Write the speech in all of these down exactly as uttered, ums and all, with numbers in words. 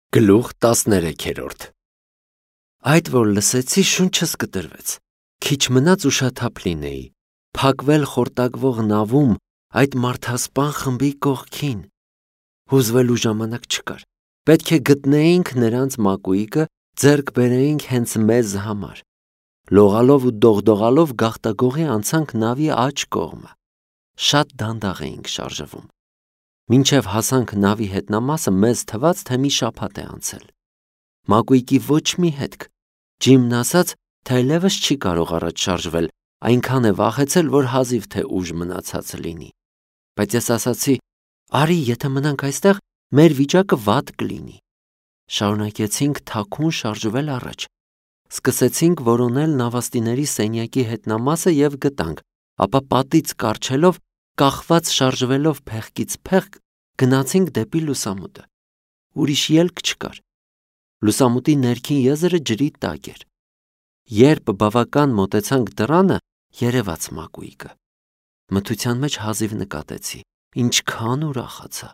Գլուխ տասներեքերորդ Այդ որ լսեցի, շունչս կտրվեց, քիչ մնաց ուշաթափ լինեի, փակվել խորտակվող նավում այդ մարդասպան խմբի կողքին, հուզվելու ժամանակ չկար, պետք է գտնեինք նրանց մակույկը, ձեռք բերեինք հենց մեզ համար, լողալով ու դողդողալով գաղտագողի անցանք նավի աջ կողմը, շատ դանդաղ էինք շարժվում. Մինչև հասանք նավի հետնամասը մեզ թվաց, թե մի շաբաթ է անցել. Մակույկի ոչ մի հետք, Ջիմն ասաց, թե այլևս չի կարող առաջ շարժվել, այնքան է վախեցել, որ հազիվ թե ուժ մնացած լինի, բայց ես ասացի, արի, եթե մնանք այստեղ, մեր վիճակը վատ կլինի, շարունակեցինք թաքուն շարժվել առաջ, սկսեցինք որոնել նավաստիների սենյակի հետնամասը և գտանք, ապա պատից կառչելով, կախված շարժվելով փեղկից փեղկ, գնացինք դեպի լուսամուտը, ուրիշ ելք չկար, լուսամուտի ներքին եզրը ջրի տակ էր, երբ բավական մոտեցանք դռանը, երևաց մակույկը, մթության մեջ հազիվ նկատեցի, ինչքան ուրախացա,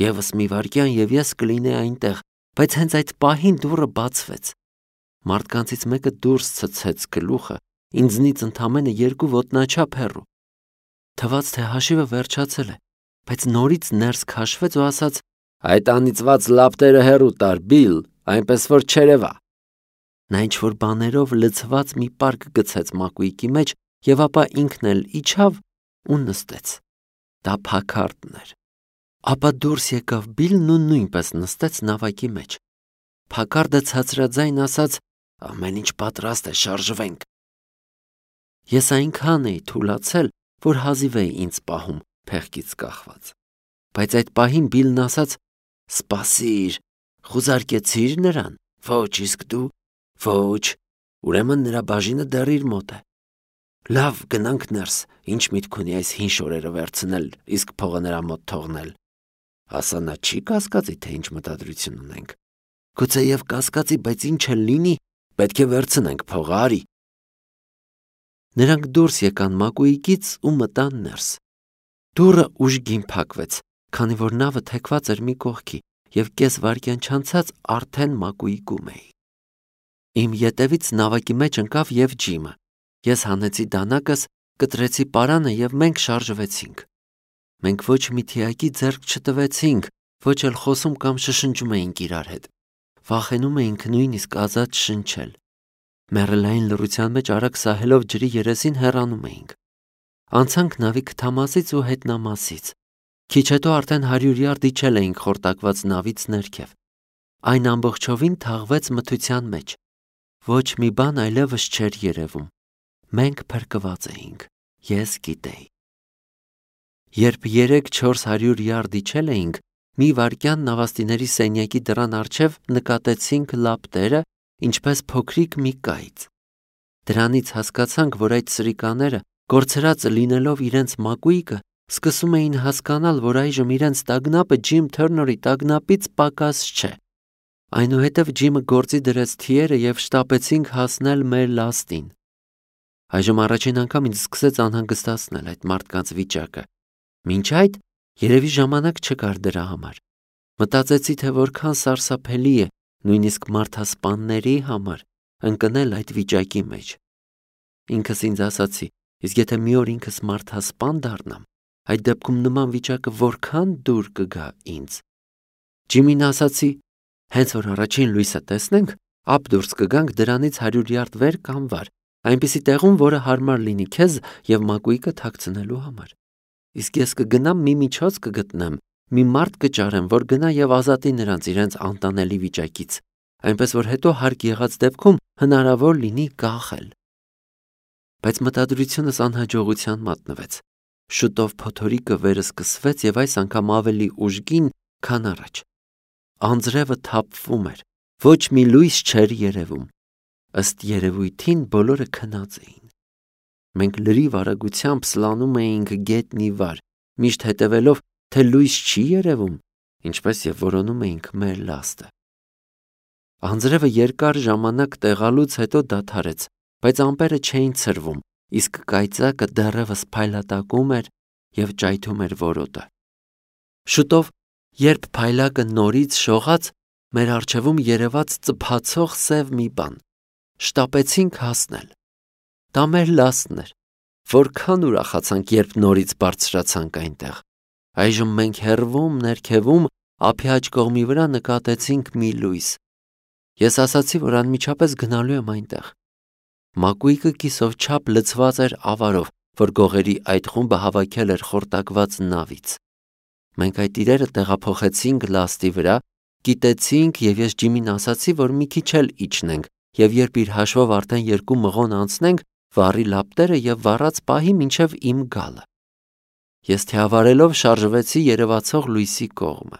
ևս մի վայրկյան և ես կլինեի այնտեղ, բայց հենց այդ պահին դուռը բացվեց, մարդկանցից մեկը դուրս ցցեց գլուխը, ինձնից ընդամենը երկու ոտնաչափ հեռու, թվաց, թե հաշիվը վերջացել է, բայց նորից ներս քաշվեց ու ասաց. Այդ անիծված լապտերը հեռու տար, Բիլ, այնպես որ չերևա։ Նա ինչ-որ բաներով լցված մի պարկ գցեց մակույկի մեջ և ապա ինքն էլ իջավ ու նստեց։ Դա Փաքարդն էր։ Ապա դուրս եկավ Բիլն ու նույնպես նստեց նավակի մեջ։ Փաքարդը ցածրաձայն ասաց. ամեն ինչ պատրաստ է, շարժվենք։ Ես այնքան էի թուլացել, որ հազիվ էի ինձ պահում փեղկից կախված, բայց այդ պահին Բիլն ասաց. սպասիր, խուզարկեցի՞ր նրան, ոչ, իսկ դու, ոչ, ուրեմն նրա բաժինը դեռ իր մոտ է, լավ, գնանք ներս, ինչ միտք ունի այս հին շորերը վերցնել, իսկ փողը նրա մոտ թողնել, ասա նա չի կասկածի, թե ինչ մտադրություն ունենք, գուցեև կասկածի, բայց ինչ էլ լինի, պետք է վերցնենք փողը, արի։ Նրանք դուրս եկան մակույկից ու մտան ներս։ Դուռը ուժգին փակվեց, քանի որ նավը թեքված էր մի կողքի և կես վայրկյան չանցած արդեն մակույկում էի։ Իմ ետևից նավակի մեջ ընկավ և Ջիմը։ Ես հանեցի դանակս, կտրեցի պարանը և մենք շարժվեցինք։ Մենք ոչ մի թիակի ձեռք չտվեցինք, ոչ էլ խոսում կամ շշնջում էինք իրար հետ։ Վախենում էինք նույնիսկ ազատ շնչել։ Մեռելային լռության մեջ արագ սահելով ջրի երեսին հեռանում էինք։ Անցանք նավի քթամասից ու հետնամասից։ Քիչ հետո արդեն հարյուր յարդ իջել էինք խորտակված նավից ներքև։ Այն ամբողջովին թաղվեց մթության մեջ։ Ոչ մի բան այլևս չէր երևում։ Մենք փրկված էինք, ես գիտեի։ Երբ երեք-չորս հարյուր յարդ իջել էինք, մի վայրկյան նավաստիների սենյակի դռան առջև նկատեցինք լապտերը, ինչպես փոքրիկ մի կայծ։ Դրանից հասկացանք, որ այդ սրիկաները, կորցրած լինելով իրենց մակույկը, սկսում էին հասկանալ, որ այժմ իրենց տագնապը Ջիմ Թըրների տագնապից պակաս չէ։ Այնուհետև Ջիմը գործի դրեց թիերը և շտապեցինք հասնել մեր լաստին։ Այժմ առաջին անգամ ինձ սկսեց անհանգստացնել այդ մարդկանց վիճակը։ Մինչ այդ երևի ժամանակ չկար դրա համար։ Մտածեցի, թե որքան սարսափելի է, նույնիսկ մարդասպանների համար, ընկնել այդ վիճակի մեջ։ Ինքս ինձ ասացի, իսկ եթե մի օր ինքս մարդասպան դառնամ, այդ դեպքում նման վիճակը որքան դուր կգա ինձ։ Ջիմին ասացի, հենց որ առաջին լույսը տեսնենք, ապ դուրս կգանք դրանից հարյուր յարդ վեր կամ վար, այնպիսի տեղում, որը հարմար լինի քեզ և մակույկը թաքցնելու համար։ Իսկ ես կգնամ մի միջոց կգտնեմ, մի մարդ կճարեմ, որ գնա և ազատի նրանց իրենց անտանելի վիճակից, այնպես որ հետո հարկ եղած դեպքում հնարավոր լինի կախել։ Բայց մտադրությունս անհաջողության մատնվեց։ Շուտով փոթորիկը վերսկսվեց և այս անգամ ավելի ուժգին, քան առաջ։ Անձրևը թափվում էր, ոչ մի լույս չէր երևում։ Ըստ երևույթին բոլորը քնած էին։ Մենք լրիվ արագությամբ սլանում էինք գետնի վար, միշտ հետևելով, թե լույս չի երևում, ինչպես և որոնում էինք մեր լաստը։ Անձրևը երկար ժամանակ տեղալուց հետո դադարեց, բայց ամպերը չէին ցրվում, իսկ կայծակը դեռևս փայլատակում էր և ճայթում էր որոտը։ Շուտով, երբ փայլակը նորից շողաց, մեր առջևում երևաց ծփացող սև մի բան։ Շտապեցինք հասնել։ Դա մեր լաստն էր։ Որքան ուրախացանք, երբ նորից բարձրացանք այնտեղ։ Այժմ մենք հեռվում, ներքևում, ափի աջ կողմի վրա նկատեցինք մի լույս։ Ես ասացի, որ անմիջապես գնալու եմ այնտեղ։ Մակույկը կիսով չափ լցված էր ավարով, որ գողերի այդ խումբը հավաքել էր խորտակված նավից։ Մենք այդ իրերը տեղափոխեցինք լաստի վրա, կիտեցինք, եւ ես Ջիմին ասացի, որ մի քիչ էլ իջնենք, եւ երբ իր հաշվով արդեն երկու մղոն անցնենք, վառի լապտերը եւ վառած պահի մինչեւ իմ գալը։ Ես թիավարելով շարժվեցի երևացող լույսի կողմը։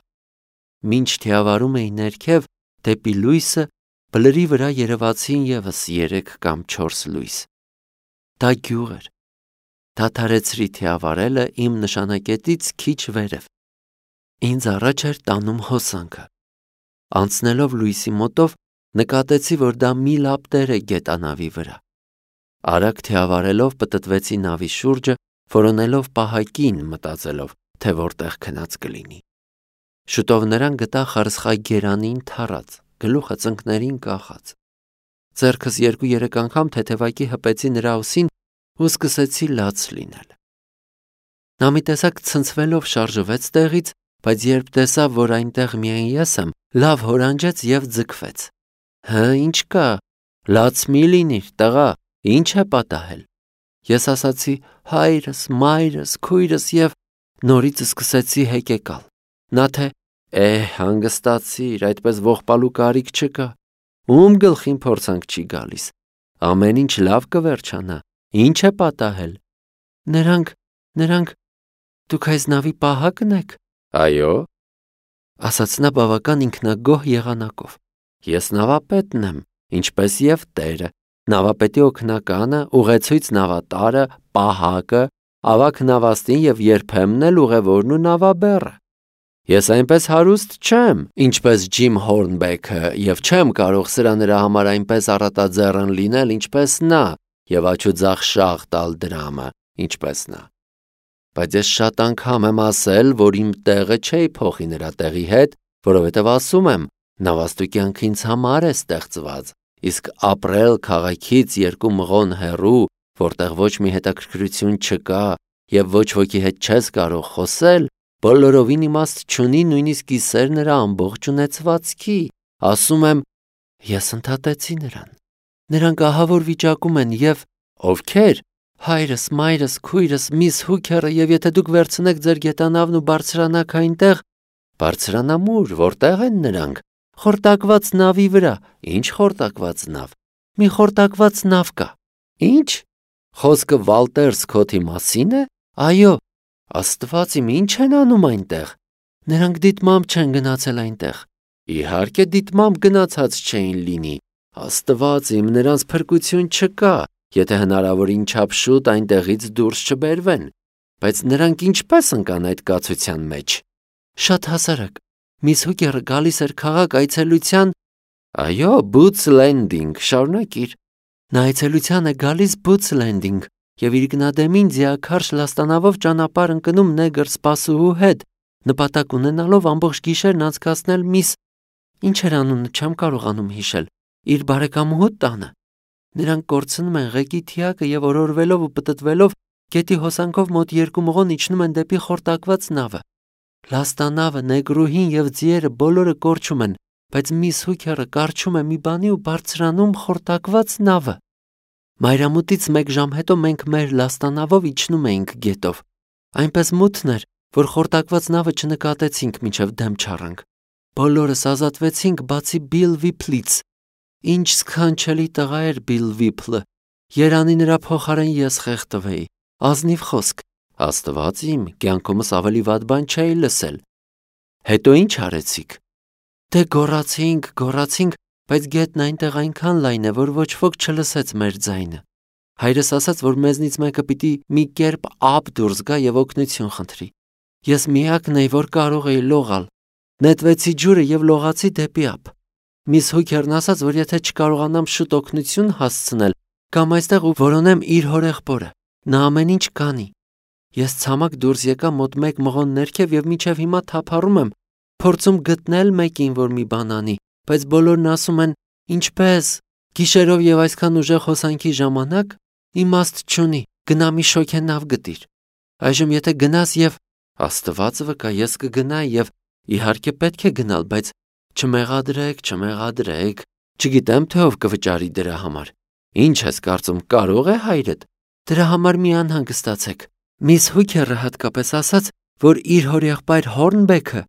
Մինչ թիավարում էի ներքև, դեպի լույսը, բլրի վրա երևացին եւս երեք կամ չորս լույս։ Դա գյուղ էր։ Դադարեցրի թիավարելը իմ նշանակետից քիչ վերև։ Ինձ առաջ էր տանում հոսանքը։ Անցնելով լույսի մոտով, նկատեցի, որ դա մի լապտեր է գետանավի վրա։ Արագ թիավարելով պտտվեցի նավի շուրջը, որոնելով պահակին, մտածելով, թե որտեղ քնած կլինի։ Շուտով նրան գտա խարսխագերանին թառած, գլուխը ծնկներին կախած։ Ձեռքս երկու-երեք անգամ թեթևակի հպեցի նրա ուսին ու սկսեցի լաց լինել։ Նա մի տեսակ ցնցվելով շարժվեց տեղից, բայց երբ տեսավ, որ այնտեղ միայն ես եմ, լավ հորանջեց եւ ձգվեց։ Հը, ինչ կա, լաց մի լինիր, տղա, ինչ է պատահել։ Ես ասացի հայրս, մայրս, քույրս եւ նորից սկսեցի հեկեկալ։ Նա թե է հանգստացիր, այդպես ողբալու կարիք չկա։ Ում գլխին փորձանք չի գալիս։ Ամեն ինչ լավ կվերջանա։ Ինչ է պատահել։ Նրանք, նրանք դուք այս նավի պահակն եք։ Այո, ասաց նա բավական ինքնագոհ եղանակով։ Ես նավապետն եմ, ինչպես եւ տերը։ Նավապետի օգնականը, ուղեցույց նավատարը, պահակը, ավագ նավաստին եւ երբեմն էլ ուղևորն ու նավաբեռը։ Ես այնպես հարուստ չեմ, ինչպես Ջիմ Հորնբեքը, եւ չեմ կարող սրա նրա համար այնպես առատաձեռն լինել, ինչպես նա, եւ աչուձախ շաղ տալ դրամը, ինչպես նա։ Բայց ես շատ անգամ եմ ասել, որ իմ տեղը չէի փոխի նրա տեղի հետ, որովհետև ասում եմ, նավաստու ինձ համար է ստեղծված, իսկ ապրել քաղաքից երկու մղոն հեռու, որտեղ ոչ մի հետաքրքրություն չկա եւ ոչ ոքի հետ չես կարող խոսել, բոլորովին իմաստ չունի նույնիսկ կիսեր նրա ամբողջ ունեցվածքի։ Ասում եմ, ես ընդհատեցի նրան։ Նրանք ահավոր վիճակում են եւ ովքեր։ Հայրս, մայրս, քույրս, միս Հուքերը եւ եթե դուք վերցնեք ձեր գետանավն ու բարձրանաք այնտեղ, բարձրանամուր, որտեղ են նրանք։ Խորտակված նավի վրա։ Ինչ խորտակված նավ։ Մի խորտակված նավ կա։ Ինչ։ Խոսքը Վալտեր Սքոթի մասին է։ Այո։ Աստված իմ, ինչ են անում այնտեղ։ Նրանք դիտմամբ չեն գնացել այնտեղ։ Իհարկե դիտմամբ գնացած չէին լինի։ Աստված իմ, նրանց փրկություն չկա։ Եթե հնարավորին չափ շուտ այնտեղից դուրս չբերվեն, բայց նրանք ինչպես ընկան այդ կացության մեջ։ Շատ հասարակ։ Միս Հուքերը գալիս էր քաղաք այցելության։ Այո, Boots Landing, շարունակիր։ Նա այցելության է գալիս Boots Landing եւ իր գնադեմին ձիաքարշ լաստանավով ճանապարհ ընկնում նեգր սպասուհու հետ, նպատակ ունենալով ամբողջ գիշերն անցկացնել միս ինչ էր անունը չեմ կարողանում հիշել, իր բարեկամուհու տանը։ Նրանք կորցնում են ղեկի թիակը եւ օրորվելով ու պտտվելով գետի հոսանքով մոտ երկու մղոն իջնում են դեպի խորտակված նավը։ Լաստանավը, նեգրուհին եւ ձիերը բոլորը կորչում են, բայց միս Հուքերը կարչում է մի բանի ու բարձրանում խորտակված նավը։ Մայրամուտից մեկ ժամ հետո մենք մեր լաստանավով իջնում էինք գետով։ Այնպես մութն էր, որ խորտակված նավը չնկատեցինք մինչև դեմ չառանք։ Բոլորս ազատվեցինք բացի Բիլ Վիփլից։ Ինչ սքանչելի տղա էր Բիլ Վիփլը։ Երանի նրա փոխարեն ես խեղդվեի։ Ազնիվ խոսք։ Աստված իմ, կյանքումս ավելի վատ բան չէի լսել։ Հետո ինչ արեցիք։ Դե գոռացինք, գոռացինք, բայց գետն այնտեղ այնքան լայն է, որ ոչ ոք չլսեց մեր ձայնը։ Հայրս ասաց, որ մեզնից մեկը պիտի մի կերպ ափ դուրս գա եւ օգնություն խնդրի։ Ես միակն էի, որ կարող էի լողալ։ Նետվեցի ջուրը եւ լողացի դեպի ափ։ Միս Հուքերն ասաց, որ եթե չկարողանամ շուտ օգնություն հասցնել, կամ այստեղ ու որոնեմ իր հորեղբորը, նա ամեն ինչ կանի։ Ես ցամաք դուրս եկա մոտ մեկ մղոն ներքև եւ մինչեւ հիմա թափառում եմ, փորձում գտնել մեկին, որ մի բան անի, բայց բոլորն ասում են. «Ինչպես, գիշերով եւ այսքան ուժեղ հոսանքի ժամանակ իմաստ չունի, գնա մի շոգենավ գտիր»։ Այժմ եթե գնաս եւ Աստված վկա, ես կգնայի եւ իհարկե պետք է գնալ, բայց չմեղադրեք, չմեղադրեք, չգիտեմ թե ով կվճարի դրա համար։ Ինչ ես կարծում, կարող է հայրդ։ Դրա համար մի անհանգստացեք։ Միս Հուքերը հատկապես ասաց, որ իր հորեղբայր Հորնբեքը,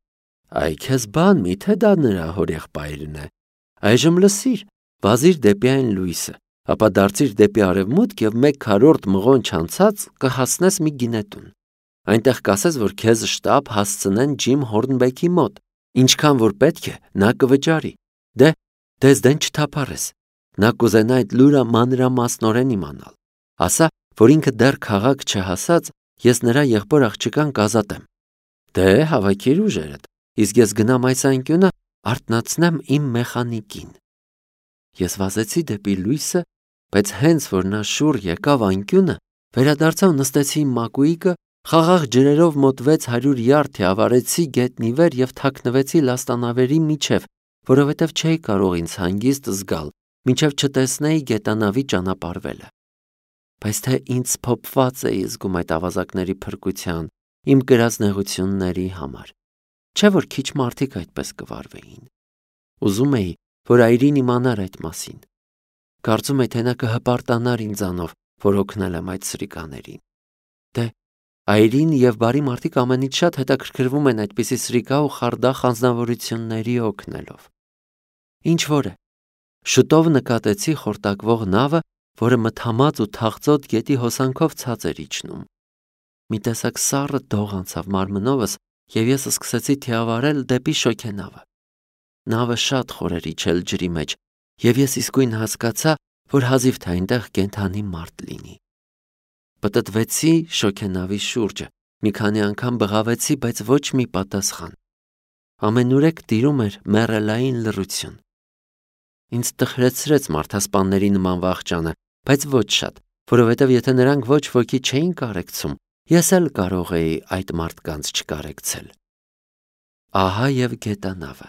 այ քեզ բան, միթե դա նրա հորեղբայրն է։ Այժմ լսիր, վազիր դեպի այն լույսը, ապա դարձիր դեպի արևմուտք եւ մեկ քառորդ մղոն չանցած կհասնես մի գինետուն։ Այնտեղ կասես, որ քեզ շտապ հասցնեն Ջիմ Հորնբեքի մոտ, ինչքան որ պետք է, նա կվճարի։ Դե, դες դեն չթափառես։ Նա կուզենա այդ լուրը մանրամասնորեն իմանալ։ Ասա, որ ինքը դեռ քաղաք չհասած, ես նրա եղբոր աղջկան կազատեմ։ Դե, հավաքիր ուժերդ, իսկ ես գնամ այս անկյունը արթնացնեմ իմ մեխանիկին։ Ես վազեցի դեպի լույսը, բայց հենց որ նա շուռ եկավ անկյունը, վերադարձավ նստեցի իմ մակույկը, խաղաղ ջրերով մոտ վեց հարյուր յարդի ավարեցի գետնի վեր եւ թաքնվեցի լաստանավերի միջև, որովհետեւ չէի կարող ինձ հանգիստ զգալ, մինչև չտեսնեի գետանավի ճանապարհվելը։ Բայց թե ինձ փոփված էի զգում այդ ավազակների փրկության, իմ կրած նեղությունների համար։ Չէ որ քիչ մարդիկ այդպես կվարվեին։ Ուզում էի, որ այրին իմանար այդ մասին։ Կարծում էի, թե նա կհպարտանար ինձանով, որ օգնել եմ այդ սրիկաներին։ Դե, այրին եւ բարի մարդիկ ամենից շատ հետաքրքրվում են այդպիսի սրիկա ու խարդախ անձնավորությունների օգնելով։ Ինչ որ է, շուտով նկատեցի խորտակվող նավը, որը մթամած ու թախծոտ գետի հոսանքով ցած էր իջնում։ Մի տեսակ սառը դող անցավ մարմնովս եւ ես սկսեցի թիավարել դեպի շոգենավը։ Նավը շատ խոր էր իջել ջրի մեջ եւ ես իսկույն հասկացա, որ հազիվ թե այնտեղ կենթանի մարդ լինի։ Պտտվեցի շոգենավի շուրջը, մի քանի անգամ բղավեցի, բայց ոչ մի պատասխան։ Ամենուրեք տիրում էր մեռելային լռություն։ Ինձ տխրեցրեց մարդասպանների նման վախճանը, բայց ոչ շատ, որովհետև եթե նրանք ոչ ոքի չէին կարեկցում, ես էլ կարող էի այդ մարդկանց չկարեկցել։ Ահա եւ գետանավը։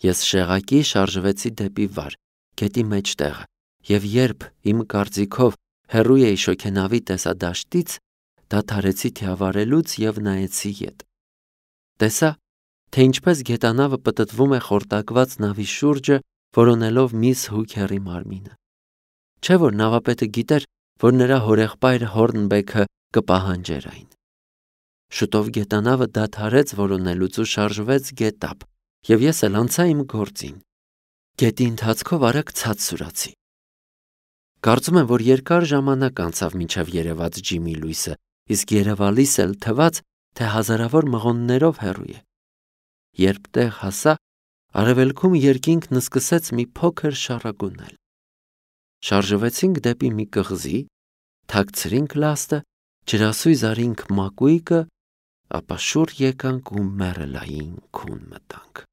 Ես շեղակի շարժվեցի դեպի վար, գետի մեջտեղը, եւ երբ իմ կարծիքով հեռու էի շոգենավի տեսադաշտից, դադարեցի թիավարելուց եւ նայեցի ետ։ Տեսա, թե ինչպես գետանավը պտտվում է խորտակված նավի շուրջը, որոնելով միս Հուքերի մարմինը։ Չէ որ նավապետը գիտեր, որ նրա հորեղբայր Հորնբեքը կպահանջեր այն։ Շուտով գետանավը դադարեց որոնելուց ու շարժվեց գետապ, եւ ես էլ անցա իմ գործին։ Գետի ընթացքով արագ ցած սուրացի։ Կարծում եմ, որ երկար ժամանակ անցավ մինչև երևաց Ջիմի լույսը, իսկ երևալիս էլ թվաց, թե հազարավոր մղոններով հեռու է։ Երբ տեղ հասա, արևելքում երկինքն սկսեց մի փոքր շառագունել։ Շարժվեցինք դեպի մի կղզի, թաքցրինք լաստը, ջրասույզ արինք մակույկը, ապա շուռ եկանք ու մեռելային քուն մտանք։